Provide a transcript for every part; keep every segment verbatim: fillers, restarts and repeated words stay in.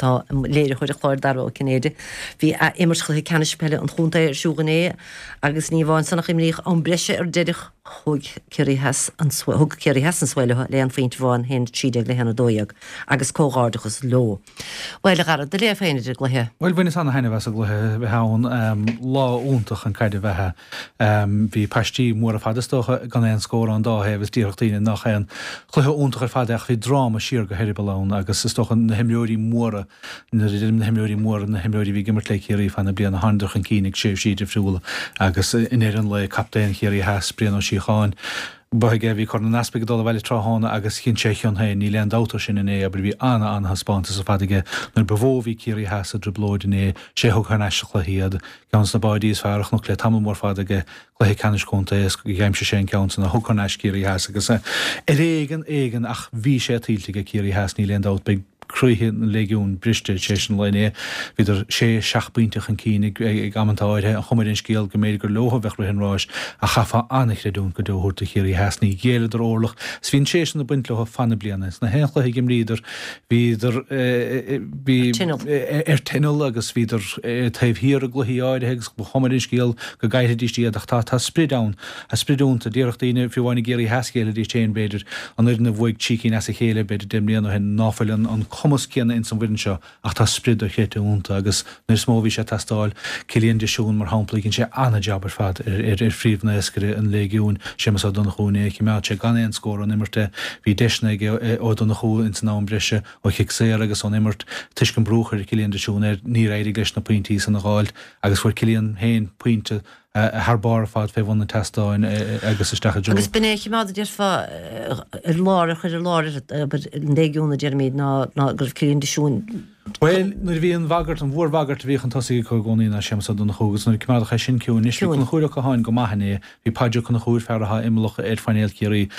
tá léiritheoir an chláir Dara Ó Cinnéide. Bhí imirt chluiche ceannais peile an chontae ar siúl inné agus ní amháin san ach imríodh am breise ar deireadh thug Ciarraí Theas an thug Ciarraí Theas an svae leo le haon phointe amháin haon trí déag le haon a dó dhéag agus comhghairdeachas leo. Bhuel a Dhara, do léamh féin ar an gcluiche. Bhuel bhaineas ana-thaitneamh as an gcluiche a bheith ann lá iontach an caid a bheith. Bhí paistí móra fada is dócha gan aon scór ón dá thaobh is déarfadh daoine nach aon chluiche iontach ar fad é ach bhí dráma siar go heireaball ann agus is dócha na himreoirí móra nuair a deirim na himreoirí móra na himreoirí a bhí ag imirt le Ciarraí feadh na bliana thánadar chun cinn ag tréimhsí difriúla agus i ndeireadh an lae captaen Chiarraí Theas Brian Ó Síocháin Ba aige a bhí Corn an Easpaig ag dul abhaile tráthnóna agus chinn sé a chion féin, níl aon dabht air sin inné, abair, bhí ana-ana-thaispeántas ar fad aige nuair ba mhó a bhí Ciarraí Theas i dtrioblóid inné, sé a thug thar n-ais sa chluiche iad. Ceann de na báidí is fearr a chonac le tamall mór fada aige, cluiche ceannais contae is d'aimsigh sé an ceann san a thug thar n-ais Ciarraí Theas agus ar éigean, éigean ach bhí sé tuillte aige Ciarraí Theas, níl aon dabht, beidh croíthe na Léigiún briste tar éis an lae inné. Bhíodar sé, seacht bpointe chun cinn ag amanta áirithe. An chuma ar an scéal go mb'fhéidir gur leo a bheadh rith an ráis ach chaithfeá an-chreidiúint go deo a thabhairt do Chiarraí Theas. Ní ghéilleadar orlach is bhí an tréith sin ag baint leo fan na bliana. Sna haon chluiche a d'imríodar bhíodar bhí ar tinneall agus bhíodar taobh thiar i gcluichí áirithe agus ba chuma ar an scéal go gcaillfidís iad ach tá tá sprid ann. Tá sprid iontu. Déarfadh daoine, fiú amháin i gCiarraí Theas ghéillfidís féin b'fhéidir, an fhoireann a bhuaigh trí cinn as a chéile b'fhéidir deich mbliana ó shin ná fuil an cumas céanna ins an bhfoireann seo ach tá sprid dochreidte iontu agus nuair is mó a bhí sé ag teastáil, Cillian de Siún mar shampla, dhein sé an-jab ar fad ar ar phríomhnaoscaire an Léigiúin, Séamus Ó Donnchú inné, choimeád sé gan aon scór ón imirt é, bhí deiseanna aige Ó Donnchú ins an am breise ó chic saor agus ón imirt, toisc an brú a chuir Cillian de Siún air níor éirigh leis na pointí san a dh'fháilt agus fuair Cillian féin pointe thar barr ar fad fé bhun an tseastáin agus isteach i dtreo. Agus b'in é a choimeád, a déarfá, ar lár, a chuir ar lár an Léigiún, a deirimid, ná ná go raibh Cillian de Siún. Bhuel, nuair a bhí an bhagairt, an mhórbhagairt a bhí chun tosaigh acu i gcónaí ná Séamus Ó Donnchú agus nuair a coimeádadh é sin ciúin. Anois bhí Conchúr Ó Catháin go maith inné, bhí Paidí Ó Conchúir, fear atá imeallach ar phainéal Chiarraí,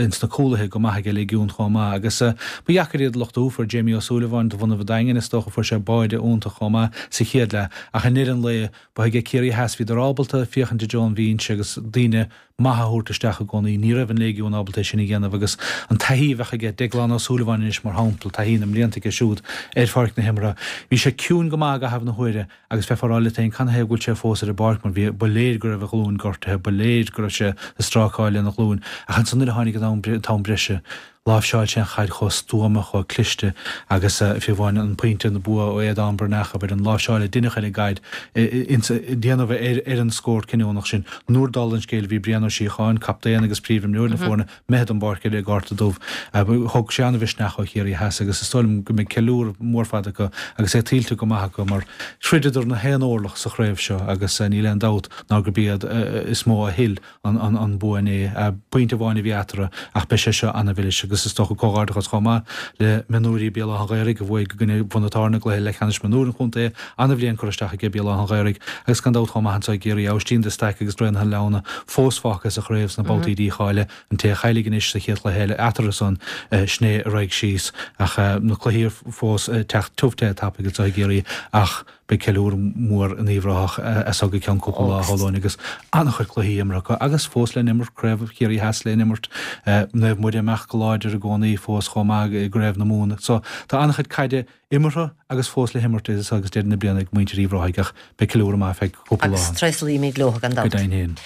ins na cúlaithe go maith aige Léigiún chomh maith agus ba dheacair iad a lochtú, fuair Jamie Ó Súilleabháin de bhunadh an Daingin is dócha, fuair sé báide iontach chomh maith sa chéad leath ach i ndeireadh an lae, Ba aige Ciarraí Theas, bhíodar ábalta féachaint i dtreo an bhinse agus daoine maithe a thabhairt isteach i gcónaí. Ní raibh an Léigiún ábalta é sin a dhéanamh agus an taithí a bheadh aige Deaglán Ó Súilleabháin anois mar shampla, taithí na mblianta aige siúd ar pháirc na himeartha. Bhí sé ciúin go maith i gcaitheamh na huaire agus bheifeá ag rá leat féin canathaobh go bhfuil sé fós ar an bpáirc mar bhí, ba léir go raibh a ghlúin gortaithe, ba léir go raibh sé ag strácáil lena ghlúin ach ansan nuair a tháinig an t-am breise, Láimhseáil sé an chaid chomh stuama, chomh cliste agus fiú amháin an pointe an bua ó Aodán Breathnach, abair, an láimhseáil a deineadh ar an gcaid ins déanamh ar ar an scór cinniúnach sin. Nuair dála an scéil bhí Brian Ó Síocháin, captaen agus príomhimreoir na foirne, imithe den bpáirc ar an gcárta dubh. Thóg sé an-mhisneach ó Chiarraí Theas agus is dóigh liom go mbeidh ceiliúradh mór fada acu agus é tuillte go maith acu mar throideadar na haon orlach sa chraobh seo agus níl aon dabht ná gurb iad is mó a thuill an bua inné. Pointe amháin a bhí eatarthu ach beidh sé seo ana-mhilis agus is dócha comhghairdeachas chomh maith le mionúirí Béal Átha an Ghaorthaidh a bhuaigh i gcoinne Bhun an Táirne i gcluiche leathcheannais mionúir an chontae. Ana-bhliain curtha isteach aige Béal Átha an Ghaorthaidh agus gan dabht chomh maith anseo i gCiarraí, Aibhistín de Staic agus Traonaithe na Leamhna fós fágtha sa chraobh sna babhtaí dícháilithe. An té a chaillfidh anois sa chéad chluiche eile eatarthu san, sin é a raghaidh síos ach na cluichí fós ag teacht tiubh te tapaidh anseo i gCiarraí ach Beidh ceiliúradh mór in Uíbh Ráthach as seo go ceann cúpla lá, a Shóláin, agus an-chuid cluichí imeartha acu agus fós le n-imirt, Craobh Chiarraí Theas le n-imirt, Naomh Muire amach go láidir i gcónaí fós chomh maith i gCraobh na Mumhan. So tá an-chuid caide imeartha agus fós le himirt idir seo agus deireadh na bliana ag muintir Uíbh Ráthaigh ach beidh ceiliúradh maith feadh cúpla lá Agus ann. tréaslaímid leo gan Go dabht. deimhin féin.